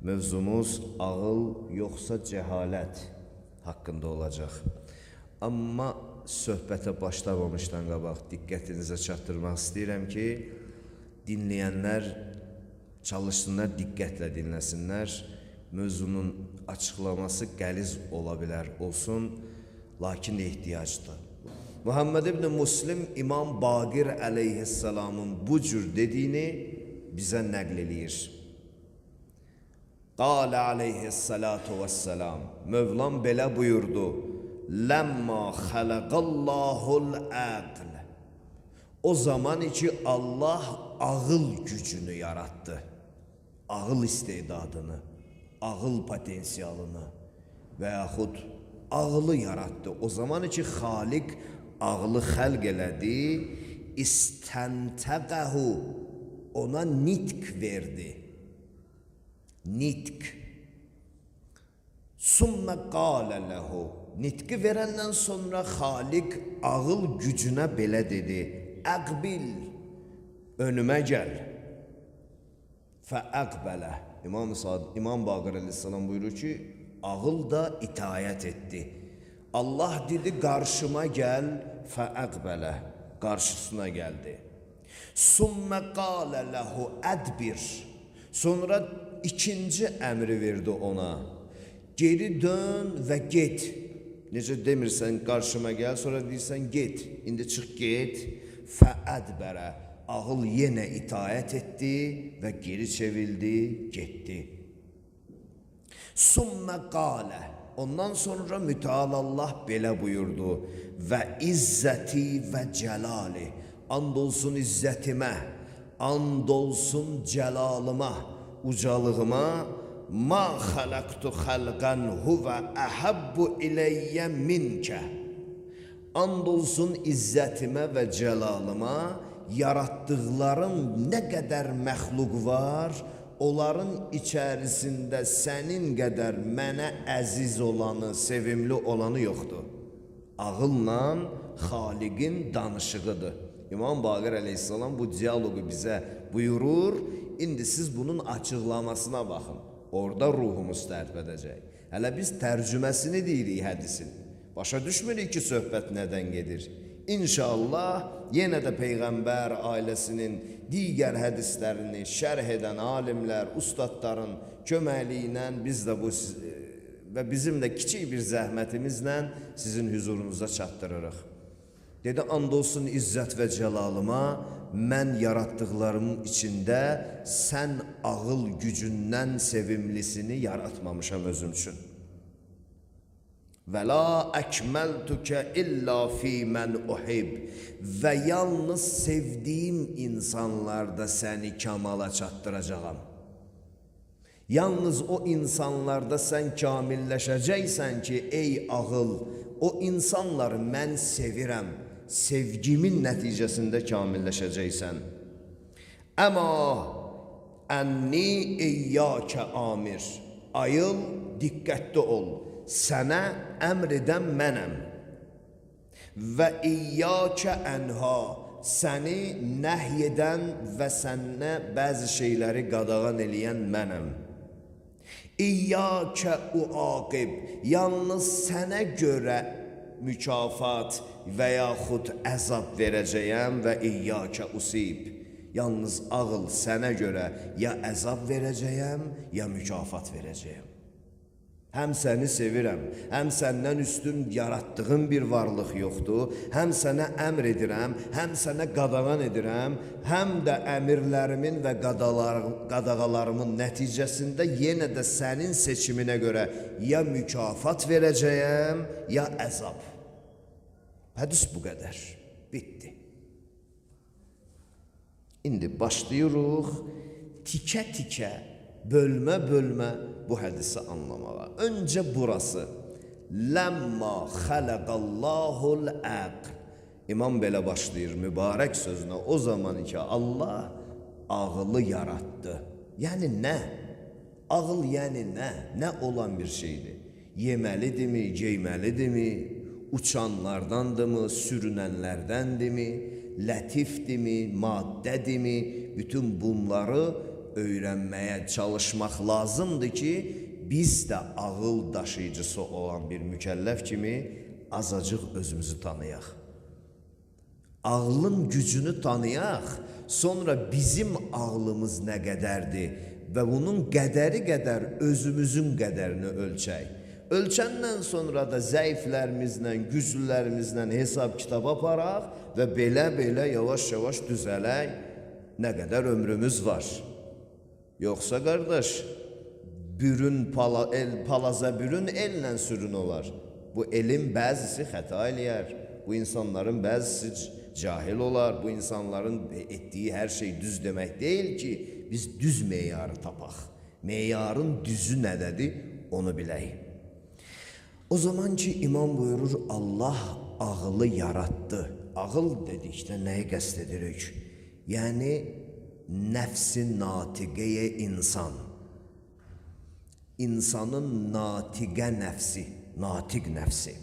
Mövzumuz ağıl yoxsa cəhalət haqqında olacaq. Amma söhbətə başlamamışdan qabaq diqqətinizə çatdırmaq istəyirəm ki, dinləyənlər çalışsınlar, diqqətlə dinləsinlər. Mövzunun açıqlaması qəliz ola bilər, olsun, lakin ehtiyacdır. Muhammed ibn Muslim İmam Baqir əleyhissalamın bu cür dediyini bizə nəql eləyir. Qalə aleyhissalatu vesselam, Mövlam belə buyurdu, Ləmma xələqallahul əql. O zaman ki Allah ağıl gücünü yarattı, ağıl istedadını, ağıl potensialını və yaxud ağılı yarattı. O zaman ki Xaliq ağılı xəlq elədi, istəntəqəhu, ona nitq verdi. Nitq. Sümmə qalə ləhu, nitqi verəndən sonra Xaliq ağıl gücünə belə dedi, əqbil, önümə gəl. Fəəqbələ. İmam Baqir əleyhissalam buyurur ki, ağıl da itayət etdi. Allah dedi, qarşıma gəl, fəəqbələ, qarşısına gəldi. Sümmə qalə ləhu ədbir, sonra ikinci əmri verdi ona, geri dön və get. Necə demirsən, qarşıma gəl, sonra deyirsən, get, indi çıx get, fəədbərə, ağıl yenə itayət etdi və geri çevildi, getdi. Sümmə qalə, ondan sonra müteal Allah belə buyurdu, və izzəti və cəlali, and olsun izzətimə, and olsun cəlalıma, ucalığıma, ma xələqtu xəlqən huvə əhəbbu iləyyə minkə. And olsun izzətimə və cəlalıma, yaratdıqlarım nə qədər məxluq var, onların içərisində sənin qədər mənə əziz olanı, sevimli olanı yoxdur. Ağılla Xaliqin danışığıdır. İmam Baqir əleyhissalam bu diyaloqu bizə buyurur, indi siz bunun açıqlamasına baxın. Orada ruhumuz tərp edəcək. Hələ biz tərcüməsini deyirik hədisin. Başa düşmürük ki, söhbət nədən gedir. İnşallah yenə də Peyğəmbər ailəsinin digər hədislərini şərh edən alimlər, ustadların köməkliyi ilə biz də bu və bizim də kiçik bir zəhmətimizlə sizin hüzurunuza çatdırırıq. Dedi, and olsun izzət və cəlalıma, mən yaratdıqlarımın içində sən ağıl gücündən sevimlisini yaratmamışam özüm üçün. Və la əkməltükə illa fi mən uhib, və yalnız sevdiyim insanlarda səni kamala çatdıracağam. Yalnız o insanlarda sən kamilləşəcəksən ki, ey ağıl, o insanları mən sevirəm, sevgimin nəticəsində kamilləşəcəksən. Əma ənni iyyəkə amir, ayıl, diqqətli ol, sənə əmr edən mənəm. Və iyyəkə ənha, səni nəhy edən və sənə bəzi şeyləri qadağan eləyən mənəm. İyyəkə uaqib, yalnız sənə görə mükafat və yaxud əzab verəcəyəm və iyyəkə usib. Yalnız ağıl sənə görə ya əzab verəcəyəm, ya mükafat verəcəyəm. Həm səni sevirəm, həm səndən üstün yaratdığım bir varlıq yoxdur, həm sənə əmr edirəm, həm sənə qadağan edirəm, həm də əmirlərimin və qadağalarımın nəticəsində yenə də sənin seçiminə görə ya mükafat verəcəyəm, ya əzab. Hədis bu qədər, bitdi. İndi başlayırıq tikə-tikə, bölmə-bölmə bu hədisi anlamağa. Öncə burası. Ləmma xələqallahul əql. İmam belə başlayır mübarək sözünə. O zaman ki Allah ağılı yarattı. Yəni nə? Ağıl yəni nə? Nə olan bir şeydir? Yeməlidirmi, geyməlidirmi? Uçanlardandırmı, sürünənlərdəndirmi? Lətifdirmi, maddədirmi? Bütün bunları öyrənməyə çalışmaq lazımdır ki, biz də ağıl daşıyıcısı olan bir mükəlləf kimi azacıq özümüzü tanıyaq. Ağlın gücünü tanıyaq, sonra bizim ağlımız nə qədərdir və bunun qədəri qədər özümüzün qədərini ölçək. Ölçəndən sonra da zəiflərimizlə, güclülərimizlə hesab kitab aparaq və belə yavaş-yavaş düzələk. Nə qədər ömrümüz var. Yoxsa qardaş, palaza bürün ellə sürün olar. Bu elin bəzisi xəta eləyər. Bu insanların bəzisi cahil olar. Bu insanların etdiyi hər şey düz demək deyil ki, biz düz meyarı tapaq. Meyarın düzü nədədir, onu bilək. O zaman ki, imam buyurur, Allah ağılı yarattı. Ağıl dedikdə nəyi qəsd edirik? Yəni, nəfsi natiqəyə insan. İnsanın natiqə nəfsi, natiq nəfsi.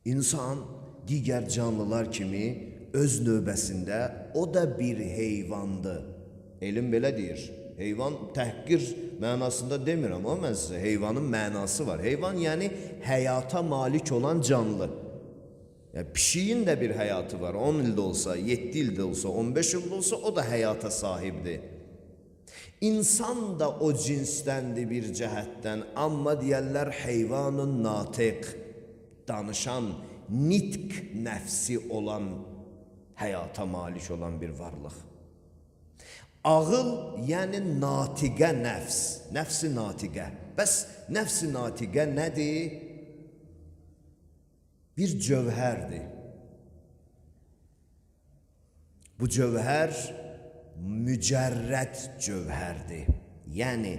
İnsan digər canlılar kimi öz növbəsində o da bir heyvandır. Elm belə deyir. Heyvan təhqir mənasında demirəm, amma mən sizə heyvanın mənası var. Heyvan yəni həyata malik olan canlı. Yəni, pişiyin də bir həyatı var. 10 ildə olsa, 7 ildə olsa, 15 ildə olsa o da həyata sahibdir. İnsan da o cinsdəndir bir cəhətdən, amma deyərlər heyvanın natiq, danışan, nitq nəfsi olan, həyata malik olan bir varlıq. Ağıl, yəni natiqə nəfs, nəfsi natiqə. Bəs nəfsi natiqə nədir? Bir cövhərdir. Bu cövhər mücərrəd cövhərdir. Yəni,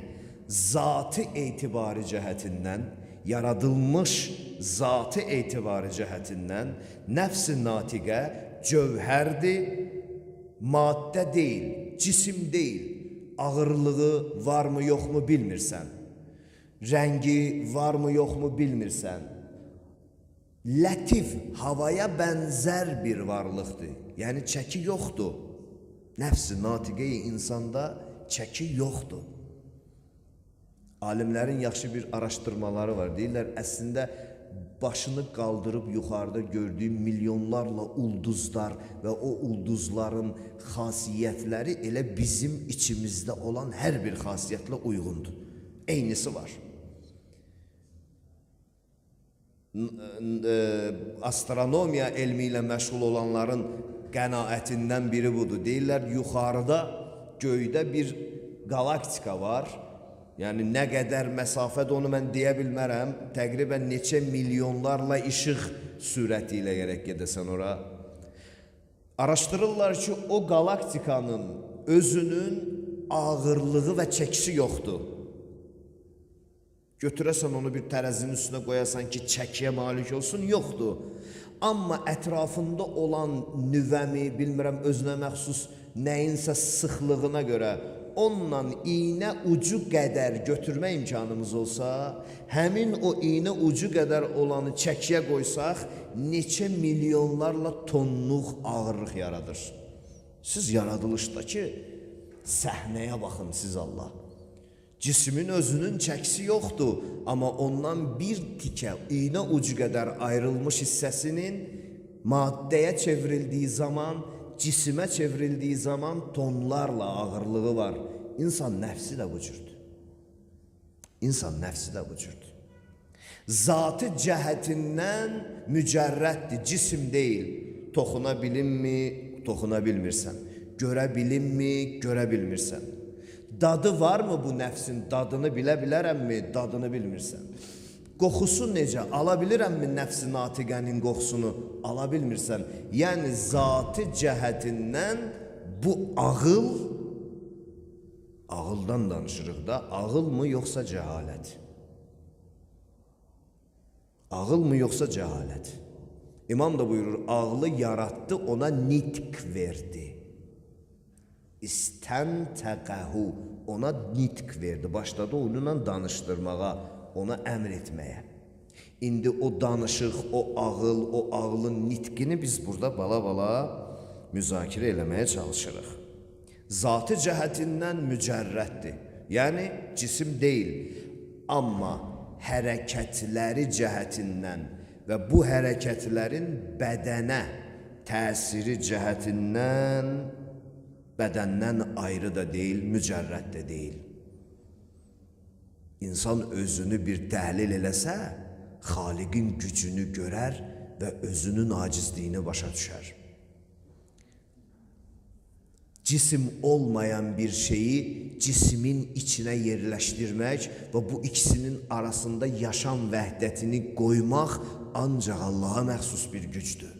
zatı etibarı cəhətindən, yaradılmış zatı etibarı cəhətindən nəfs-i natiqə cövhərdir, maddə deyil, cisim deyil. Ağırlığı varmı yoxmu bilmirsən. Rəngi varmı yoxmu bilmirsən. Lətif, havaya bənzər bir varlıqdır. Yəni çəki yoxdur. Nəfs-i natiqə-i insanda çəki yoxdur. Alimlərin yaxşı bir araşdırmaları var. Deyirlər, əslində başını qaldırıb yuxarıda gördüyü milyonlarla ulduzlar və o ulduzların xasiyyətləri elə bizim içimizdə olan hər bir xasiyyətlə uyğundur. Eynisi var. Astronomiya elmi ilə məşğul olanların qənaətindən biri budur. Deyirlər, yuxarıda göydə bir galaktika var. Yəni, nə qədər məsafədə onu mən deyə bilmərəm. Təqribən neçə milyonlarla işıq sürəti ilə gərək gedəsən ora. Araşdırırlar ki, o galaktikanın özünün ağırlığı və çəkisi yoxdur. Götürəsən onu bir tərəzinin üstünə qoyasan ki, çəkiyə malik olsun, yoxdur. Amma ətrafında olan nüvəmi, bilmirəm, özünə məxsus nəyinsə sıxlığına görə onunla iynə ucu qədər götürmə imkanımız olsa, həmin o iynə ucu qədər olanı çəkiyə qoysaq, neçə milyonlarla tonluq ağırlıq yaradır. Siz yaradılışdakı səhnəyə baxın siz Allah. Cismin özünün çəkisi yoxdur, amma ondan bir tikə iynə ucu qədər ayrılmış hissəsinin maddəyə çevrildiyi zaman, cisimə çevrildiyi zaman tonlarla ağırlığı var. İnsan nəfsi də bu cürdür. İnsan nəfsi də bu cürdür. Zatı cəhətindən mücərrəddir, cisim deyil. Toxuna bilinmi, toxuna bilmirsən. Görə bilinmi, görə bilmirsən. Dadı varmı bu nəfsin, dadını bilə bilərəmmi, dadını bilmirsən. Qoxusu necə, ala bilirəmmi nəfs-i natiqənin qoxusunu, ala bilmirsən. Yəni, zatı cəhətindən bu ağıl, ağıldan danışırıq da, ağıl mı yoxsa cəhalət? Ağıl mı yoxsa cəhalət? İmam da buyurur, ağlı yarattı, ona nitq verdi. İstəntəqəhu, ona nitq verdi, başladı onunla danışdırmağa, ona əmr etməyə. İndi o danışıq, o ağıl, o ağlın nitqini biz burada bala-bala müzakirə eləməyə çalışırıq. Zatı cəhətindən mücərrəddir. Yəni cisim deyil. Amma hərəkətləri cəhətindən və bu hərəkətlərin bədənə təsiri cəhətindən bədəndən ayrı da deyil, mücərrəd də deyil. İnsan özünü bir təhlil eləsə, Xaliqin gücünü görər və özünün acizliyini başa düşər. Cisim olmayan bir şeyi cismin içine yerleştirmek ve bu ikisinin arasında yaşam vəhdətini qoymaq ancaq Allah'a məxsus bir gücdür.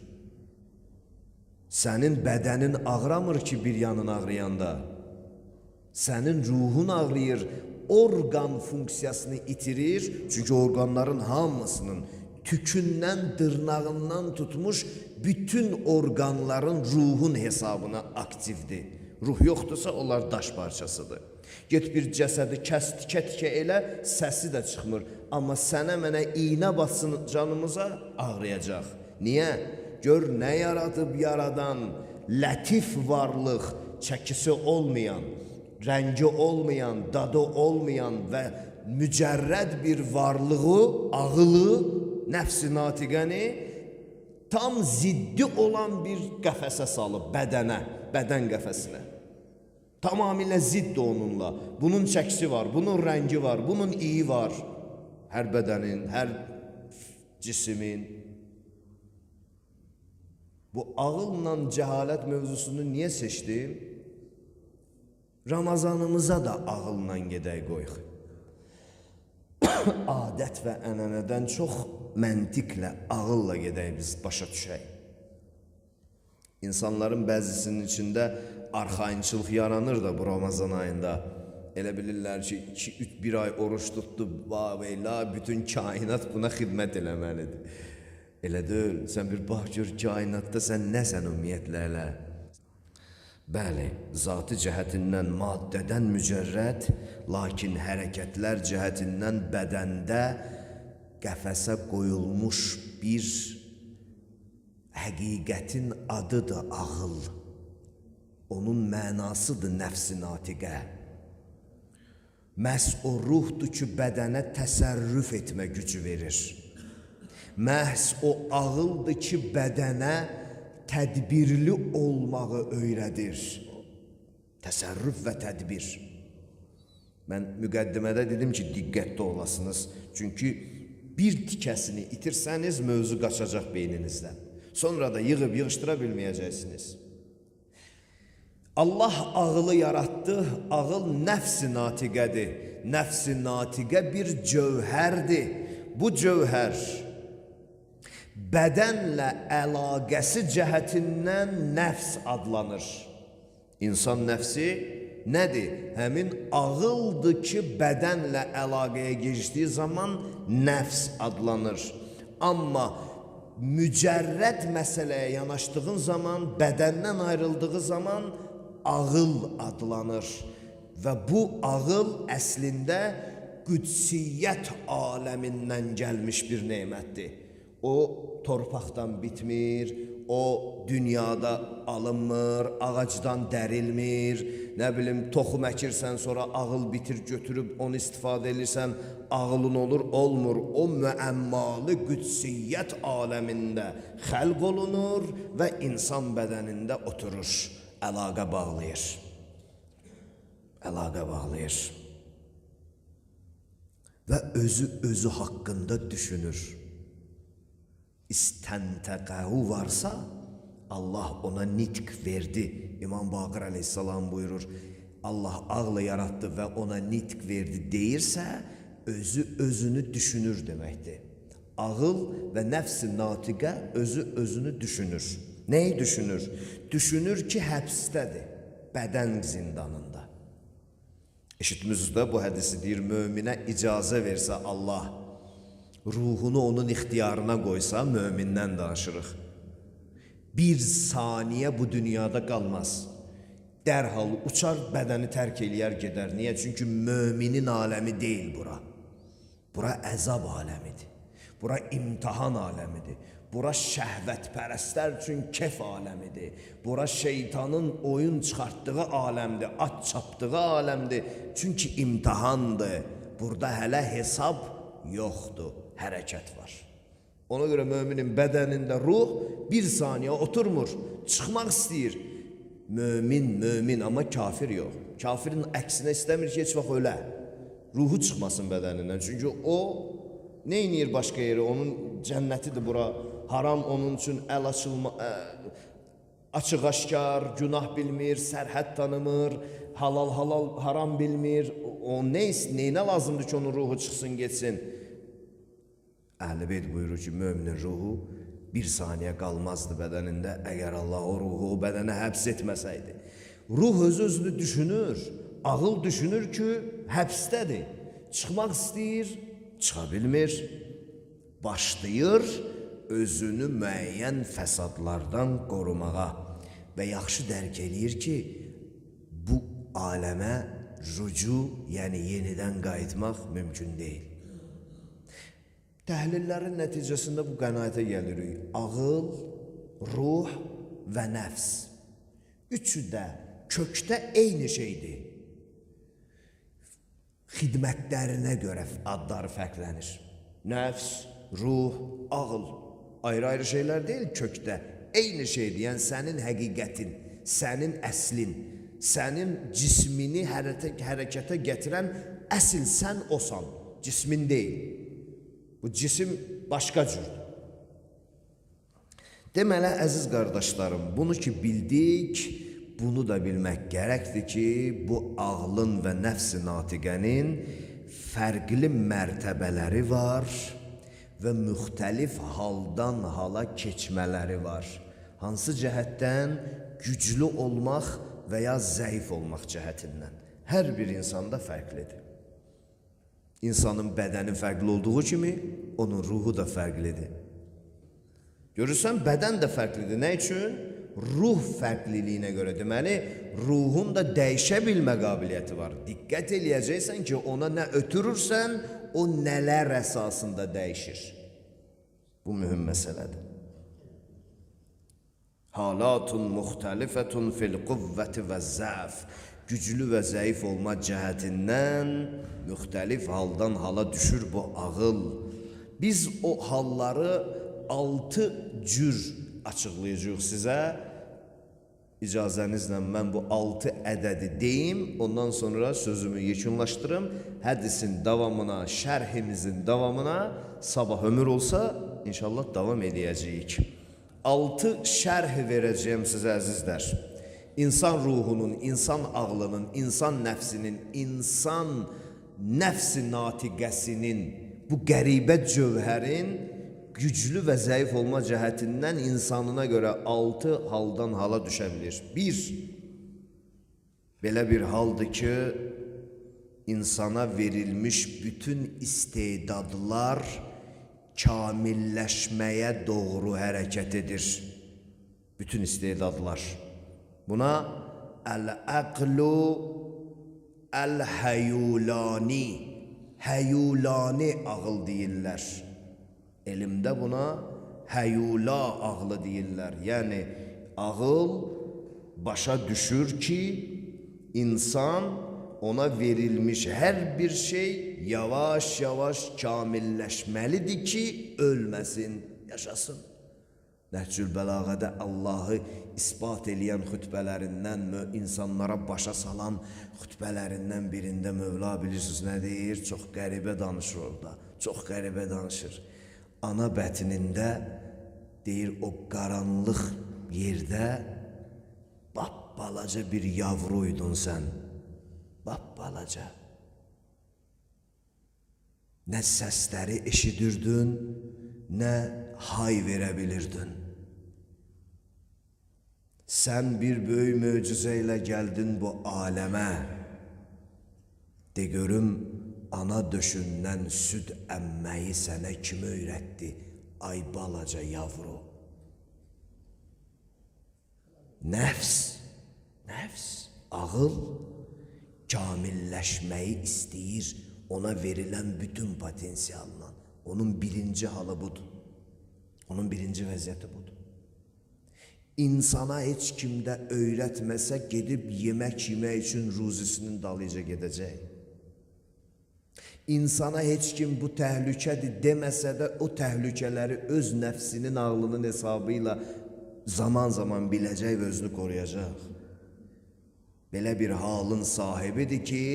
Sənin bədənin ağramır ki bir yanın ağrıyanda. Sənin ruhun ağrıyır, organ funksiyasını itirir. Çünkü organların hamısının tükündən, dırnağından tutmuş bütün organların ruhun hesabına aktivdir. Ruh yoxdursa onlar daş parçasıdır. Get bir cəsədi kəs tikə-tikə elə, səsi də çıxmır. Amma sənə mənə iynə batsın canımıza ağrıyacaq. Niyə? Gör nə yaradıb yaradan, lətif varlıq, çəkisi olmayan, rəngi olmayan, dadı olmayan və mücərrəd bir varlığı, ağılı, nəfs-i natiqəni tam ziddi olan bir qəfəsə salıb bədənə, bədən qəfəsinə. Tamamilə ziddi onunla. Bunun çəkisi var, bunun rəngi var, bunun iyi var. Hər bədənin, hər cismin. Bu ağılla cəhalət mövzusunu niyə seçdim? Ramazanımıza da ağılla gedək qoyuq. Adət və ənənədən çox məntiqlə, ağılla gedək biz başa düşək. İnsanların bəzisinin içində arxayınçılıq yaranır da bu Ramazan ayında. Elə bilirlər ki, 2-3 ay oruç tutdu, vələ bütün kainat buna xidmət eləməlidir. Elə deyil, sən bir bax gör kainatda sən nəsən ümumiyyətlə elə. Bəli, zatı cəhətindən maddədən mücərrəd, lakin hərəkətlər cəhətindən bədəndə qəfəsə qoyulmuş bir həqiqətin adıdır ağıl. Onun mənasıdır nəfs-i natiqə. Məhz o ruhdur ki, bədənə təsərrüf etmə gücü verir. Məhz o ağıldır ki, bədənə tədbirli olmağı öyrədir. Təsərrüf və tədbir. Mən müqəddimədə dedim ki, diqqətli olasınız. Çünki bir tikəsini itirsəniz, mövzu qaçacaq beyninizdən. Sonra da yığıb yığışdıra bilməyəcəksiniz. Allah ağılı yarattı, ağıl nəfs-i natiqədir. Nəfs-i natiqə bir cövhərdir. Bu cövhər bədənlə əlaqəsi cəhətindən nəfs adlanır. İnsan nəfsi nədir? Həmin ağıldır ki, bədənlə əlaqəyə geçdiyi zaman nəfs adlanır. Amma mücərrəd məsələyə yanaşdığın zaman, bədəndən ayrıldığı zaman ağıl adlanır. Və bu ağıl əslində qüdsiyyət aləmindən gəlmiş bir nemətdir. O torpaqdan bitmir, o dünyada alınmır, ağacdan dərilmir, nə bilim toxum əkirsən sonra ağıl bitir götürüb onu istifadə edirsən, ağılın olur, olmur. O müəmmalı qüdsiyyət aləmində xəlq olunur və insan bədənində oturur, əlaqə bağlayır. Əlaqə bağlayır. Və özü haqqında düşünür. İstəntəqəhu varsa, Allah ona nitq verdi. İmam Baqir aleyhissalam buyurur, Allah ağlı yarattı və ona nitq verdi deyirsə, özünü düşünür deməkdir. Ağıl və nəfs-i natiqə özünü düşünür. Nəyi düşünür? Düşünür ki, həbsdədir, bədən zindanında. Eşitmişsiniz bu hədisi deyir, möminə icazə versə Allah, ruhunu onun ixtiyarına qoysa, mömindən danışırıq. Bir saniyə bu dünyada qalmaz. Dərhal uçar, bədəni tərk eləyər, gedər. Niyə? Çünki möminin aləmi deyil bura. Bura əzab aləmidir. Bura imtihan aləmidir. Bura şəhvətpərəstlər üçün kef aləmidir. Bura şeytanın oyun çıxartdığı aləmdir, at çapdığı aləmdir. Çünki imtihandır. Burada hələ hesab yoxdur, hərəkət var. Ona görə müminin bədənində ruh bir saniyə oturmur, çıxmaq istəyir. Mömin, amma kafir yox. Kafirin əksinə istəmir ki, heç vaxt ölə. Ruhu çıxmasın bədənindən. Çünki o nə edir başqa yeri? Onun cənnətidir bura. Haram onun üçün açıq-aşkar, günah bilmir, sərhəd tanımır, halal haram bilmir. O neyinə lazımdır ki, onun ruhu çıxsın, geçsin? Əhl-i Beyt buyurur ki, müminin ruhu bir saniyə qalmazdı bədənində, əgər Allah o ruhu o bədənə həbs etməsəydi. Ruh özünü düşünür, ağıl düşünür ki, həbsdədir. Çıxmaq istəyir, çıxa bilmir, başlayır özünü müəyyən fəsadlardan qorumağa və yaxşı dərk eləyir ki, bu aləmə rücu, yəni yenidən qayıtmaq mümkün deyil. Təhlillərin nəticəsində bu qənaətə gəlirik. Ağıl, ruh və nəfs. Üçü də kökdə eyni şeydir. Xidmətlərinə görə adları fərqlənir. Nəfs, ruh, ağıl. Ayrı-ayrı şeylər deyil kökdə. Eyni şeydir, yəni sənin həqiqətin, sənin əslin, sənin cismini hərəkətə gətirən əsl sən osan, cismin deyil. Bu cisim başqa cürdür. Deməli, əziz qardaşlarım, bunu ki bildik, bunu da bilmək gərəkdir ki, bu ağlın və nəfs-i natiqənin fərqli mərtəbələri var və müxtəlif haldan hala keçmələri var. Hansı cəhətdən? Güclü olmaq və ya zəif olmaq cəhətindən. Hər bir insanda fərqlidir. İnsanın bədəni fərqli olduğu kimi, onun ruhu da fərqlidir. Görürsən, bədən də fərqlidir. Nə üçün? Ruh fərqliliyinə görə. Deməli, ruhun da dəyişə bilmə qabiliyyəti var. Diqqət eləyəcəksən ki, ona nə ötürürsən, o nələr əsasında dəyişir. Bu mühüm məsələdir. Halatun muxtəlifətun fil quvvəti və zəf. Güclü və zəif olma cəhətindən müxtəlif haldan hala düşür bu ağıl. Biz o halları 6 cür açıqlayacağıq sizə. İcazənizlə mən bu 6 ədədi deyim, ondan sonra sözümü yekunlaşdırım. Hədisin davamına, şərhimizin davamına sabah ömür olsa inşallah davam edəcəyik. 6 şərh verəcəyim sizə əzizlər. İnsan ruhunun, insan ağlının, insan nəfsinin, insan nəfs-i natiqəsinin, bu qəribə cövhərin güclü və zəif olma cəhətindən insanına görə 6 haldan hala düşə bilir. 1. Belə bir haldır ki, insana verilmiş bütün istedadlar kamilləşməyə doğru hərəkət edir. Bütün istedadlar. Buna əl-əqlu əl-həyulani, həyulani ağıl deyirlər. Elmdə buna həyula ağlı deyirlər. Yəni, ağıl başa düşür ki, insan ona verilmiş hər bir şey yavaş-yavaş kamilləşməlidir ki, ölməsin, yaşasın. Nəhcül Bəlağədə Allahı ispat eləyən xütbələrindən, insanlara başa salan xütbələrindən birində Mövla bilirsiniz nə deyir? Çox qəribə danışır orada, çox qəribə danışır. Ana bətnində deyir, o qaranlıq yerdə balaca bir yavruydun sən, balaca. Nə səsləri eşidirdin, nə hay verə bilirdin. Sən bir böyük möcüzə ilə gəldin bu aləmə. De görüm, ana döşündən süd əmməyi sənə kim öyrətdi, ay balaca yavru? Nəfs, ağıl kamilləşməyi istəyir ona verilən bütün potensialından. Onun birinci halı budur. Onun birinci vəziyyəti budur. İnsana heç kimdə öyrətməsə gedib yemək yemək üçün ruzisinin dalıca gedəcək. İnsana heç kim bu təhlükədir deməsə də o təhlükələri öz nəfsinin ağlının hesabı ilə zaman zaman biləcək və özünü qoruyacaq. Belə bir halın sahibidir ki,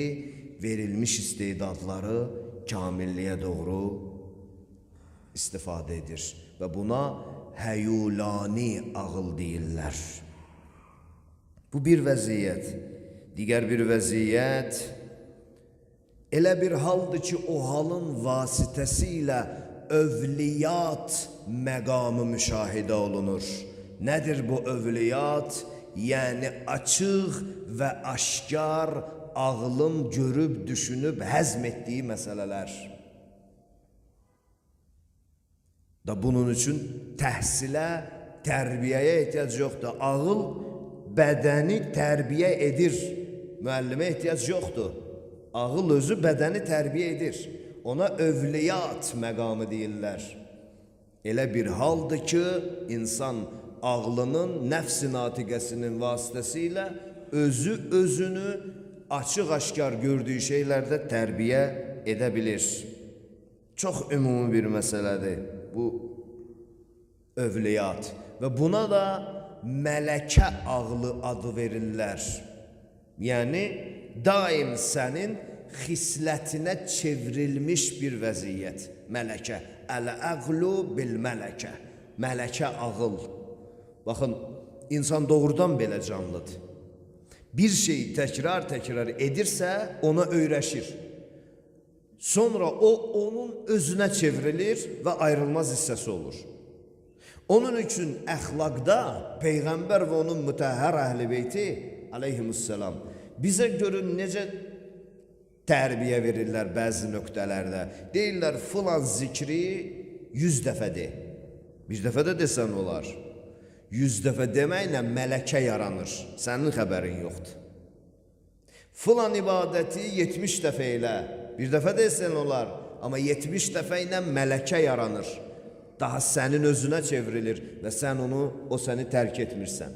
verilmiş istedadları kamilliyə doğru istifadə edir və buna həyulani ağıl deyirlər. Bu bir vəziyyət. Digər bir vəziyyət elə bir haldır ki, o halın vasitəsilə övliyat məqamı müşahidə olunur. Nədir bu övliyat? Yəni açıq və aşkar ağlın görüb, düşünüb, həzm etdiyi məsələlər. Da bunun üçün təhsilə, tərbiyəyə ehtiyac yoxdur. Ağıl bədəni tərbiyə edir. Müəllimə ehtiyac yoxdur. Ağıl özü bədəni tərbiyə edir. Ona övliyat məqamı deyirlər. Elə bir haldır ki, insan ağlının, nəfs-i natiqəsinin vasitəsilə özü özünü açıq-aşkar gördüyü şeylərdə tərbiyə edə bilir. Çox ümumi bir məsələdir bu övliyat və buna da mələkə ağlı adı verirlər. Yəni, daim sənin xislətinə çevrilmiş bir vəziyyət. Mələkə. Əl-əqlu bil-mələkə. Mələkə ağıl. Baxın, insan doğrudan belə canlıdır. Bir şeyi təkrar edirsə, ona öyrəşir. Sonra o, onun özünə çevrilir və ayrılmaz hissəsi olur. Onun üçün əxlaqda Peyğəmbər və onun mütəhhər əhl-i beyti aleyhimussalam bizə görün necə tərbiyə verirlər bəzi nöqtələrdə. Deyirlər, filan zikri 100 dəfə de. Bir dəfə də desən olar. 100 dəfə deməklə mələkə yaranır. Sənin xəbərin yoxdur. Filan ibadəti 70 dəfə elə. Bir dəfə desən olar. Amma 70 dəfə ilə mələkə yaranır. Daha sənin özünə çevrilir və sən onu, o səni tərk etmirsən.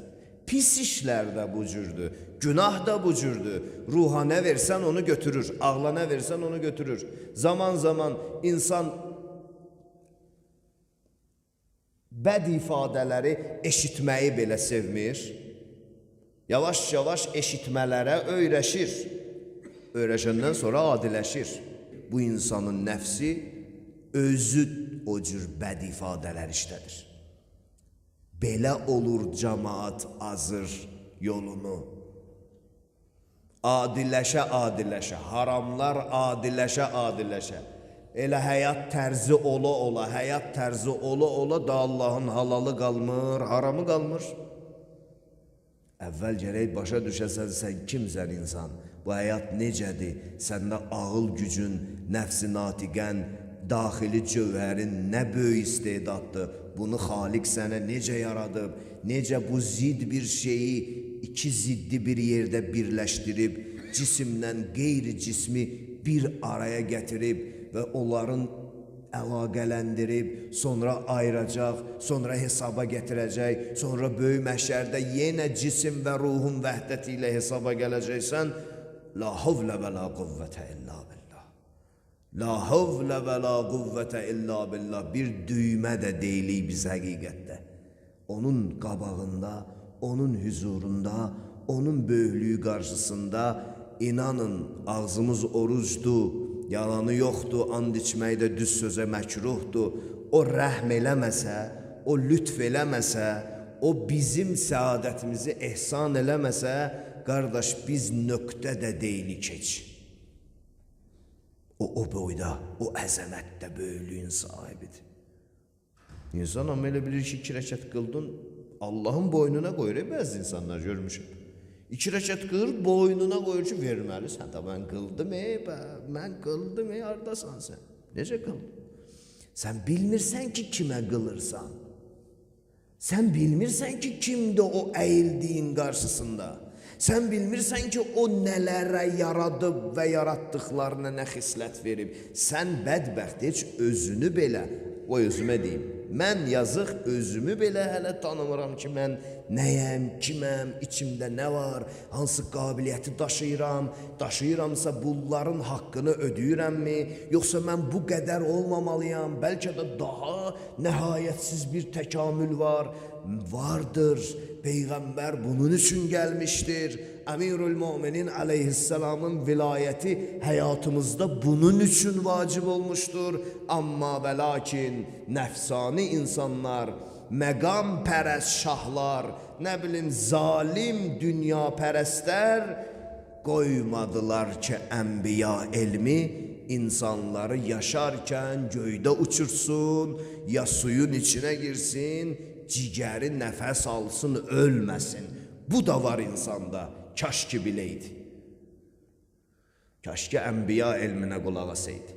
Pis işlər də bu cürdür. Günah da bu cürdür. Ruha nə versən onu götürür. Ağla nə versən onu götürür. Zaman zaman insan bəd ifadələri eşitməyi belə sevmir. Yavaş-yavaş eşitmələrə öyrəşir. Öyrəşəndən sonra adiləşir. Bu insanın nəfsi özü o cür bəd ifadələr işlədir. Belə olur cəmaat azır yolunu. Adiləşə, haramlar adiləşə. Elə həyat tərzi ola da Allahın halalı qalmır, haramı qalmır. Əvvəl gərək başa düşəsən, sən kimsən insan? Bu həyat necədir? Səndə ağıl gücün, nəfs-i natiqən, daxili cövhərin nə böyük istedaddır? Bunu Xaliq sənə necə yaradıb? Necə bu zid bir şeyi iki ziddi bir yerdə birləşdirib, cisimdən qeyri-cismi bir araya gətirib və onların əlaqələndirib, sonra ayıracaq, sonra hesaba gətirəcək, sonra böyük məhşərdə yenə cisim və ruhun vəhdəti ilə hesaba gələcəksən, la havlə və la quvvətə illa billah. La havlə və la quvvətə illa billah. Bir düymə də deyilik biz həqiqətdə. Onun qabağında, onun hüzurunda, onun böyüklüyü qarşısında inanın, ağzımız orucdur, yalanı yoxdur, and içməkdə düz sözə məkruhdur. O rəhm eləməsə, o lütf eləməsə, o bizim səadətimizi ehsan eləməsə, qardaş, biz nöqtədə deyilik heç. O boyda, o əzəmətdə böyüklüyün sahibidir. İnsan amma elə bilir ki, 2 rəkət qıldın, Allahın boynuna qoyur, bəzi insanlar görmüşəm. 2 rəkət qılır, boynuna qoyur ki, verməlisən. Mən qıldım, haradasan sən? Necə qıldın? Sən bilmirsən ki, kimə qılırsan. Sən bilmirsən ki, kimdir o əyildiyin qarşısında. Sən bilmirsən ki, o nələrə yaradıb və yaratdıqlarına nə xislət verib. Sən bədbəxt, heç özünü belə, o özümə deyim. mən yazıq özümü belə hələ tanımıram ki, mən nəyəm, kiməm, içimdə nə var, hansı qabiliyyəti daşıyıramsa bunların haqqını ödəyirəmmi, yoxsa mən bu qədər olmamalıyam, bəlkə də daha nəhayətsiz bir təkamül vardır. Peyğəmbər bunun üçün gəlmişdir. Əmirül Möminin əleyhisselamın vilayəti həyatımızda bunun üçün vacib olmuşdur. Amma və lakin nəfsani insanlar, məqam pərəst şahlar, nə bilim zalim dünya pərəstlər qoymadılar ki, ənbiya elmi insanları yaşarkən göydə uçursun, ya suyun içinə girsin, cigəri nəfəs alsın, ölməsin. Bu da var insanda. Kaş ki biləydi. Kaş ki ənbiya elminə qulaq asaydı.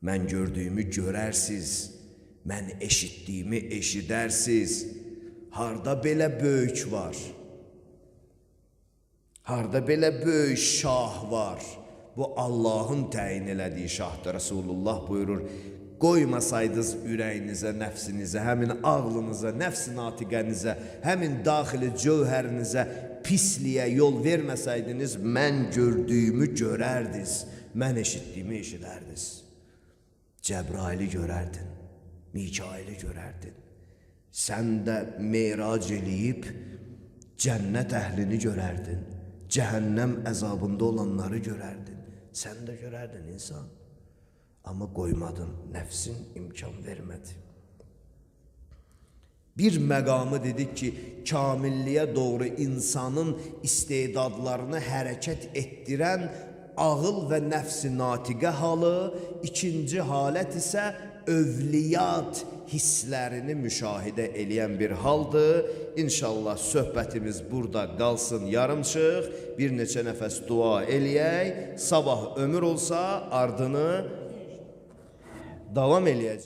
Mən gördüyümü görərsiz, mən eşitdiyimi eşidərsiz. Harda belə böyük var? Harda belə böyük şah var? Bu Allah'ın təyin elədiyi şahdır. Resulullah buyurur, qoymasaydınız ürəyinizə, nəfsinizə, həmin ağlınıza, nəfs-i natiqənizə, həmin daxili cövhərinizə pisliyə yol verməsəydiniz, mən gördüyümü görərdiniz, mən eşitdiyimi eşidərdiniz. Cəbraili görərdin, Mikaili görərdin. Sən də meyrac eləyib cənnət əhlini görərdin, cəhənnəm əzabında olanları görərdin. Sən də görərdin insan. Amma qoymadın, nəfsin imkan vermədi. Bir məqamı dedik ki, kamilliyə doğru insanın istedadlarını hərəkət etdirən ağıl və nəfs-i natiqə halı, ikinci halət isə övliyat hisslərini müşahidə eləyən bir haldır. İnşallah söhbətimiz burada qalsın yarımçıq, bir neçə nəfəs dua eləyək, sabah ömür olsa ardını davam eləyəcək.